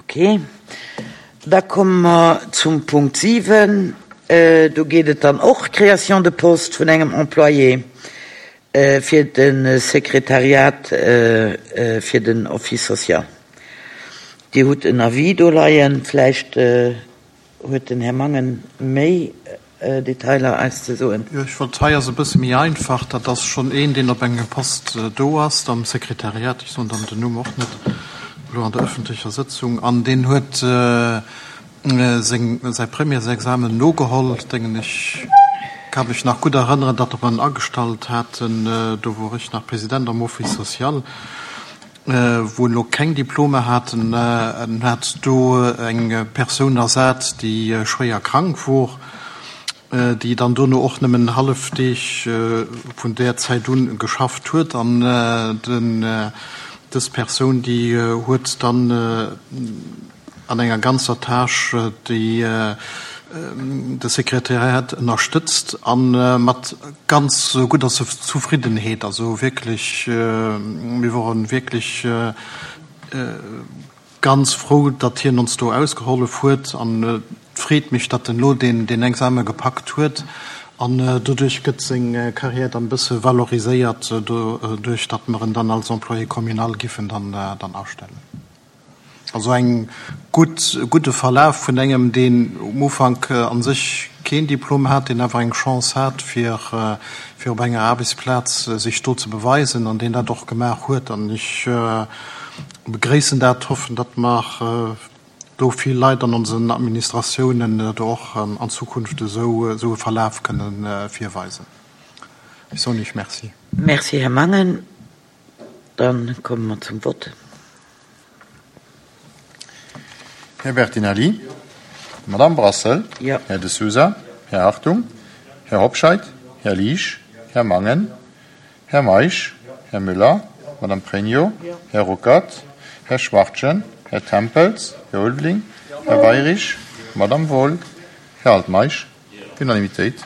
Ok. Da komme mer zum Punkt 7. Do geet et dann och Création de poste vun engem Employé fir de Sekretariat fir den Office social. Dir hutt en Avis do leien. Vläicht huet den Här Mangen méi Detailer eis ze soen. Jo, ech wollt, hei ass e bësse méi einfach, dat ass schonn een, deen op engem Poste do ass am Sekretariat, ech soen dann den Numm och net elo an der öffentlecher Sëtzung, an deen huet seng, säi Premièresexamen nogeholl, dengen ech, ka mech nach gutt erënneren, datt mer en agestallt haten, do wor ech nach President am Office social, wou en elo keng Diplomer hat. En hat do eng Persoun ersat, déi schwéier krank wor, déi dann dono och nëmmen hallef Deeg vun där Zäit un geschafft huet. An dës Persoun, déi huet dann an enger ganzer Tâche déi de Sekretariat ënnerstëtzt a mat ganz gudder Zufriddenheet. Also wierklech, mir wore wierklech ganz frou, datt hien ons do ausgehollef huet an et freet mech, datt en elo deen Examen gepackt huet an doduerch gëtt seng Carrière dann e bësse valoriséiert, doduerch datt mer en dann als Employé communal giffen dann astellen. Also eng gutt, e gudde Verlaf vun engem, deen um Ufank a sech keen Diplom hat, deen awer eng Chance hat, fir, fir op enger Aarbechtsplaz sech do ze beweisen an deen dat och gemaach huet. An ech begréissen dat, hoffen, datt mer do vill Leit an onsen Administratiounen do och an Zukunft esou, esou e Verlaf kënnen virweisen. Ech soen Iech Merci. Merci, Här Mangen. Dann komme mer zum Vott. Här Bertinelli, Madame Brassel, Jo. Här De Sousa, Här Hartung, Här Hobscheit, Här Liesch, Här Mangen, Här Meisch, Här Müller, Madame Pregno, Här Ruckert, Här Schwachtgen, Här Tempels, Här Ulveling, Här Weirich, Madame Wohl, Här Altmeisch. Unanimitéit.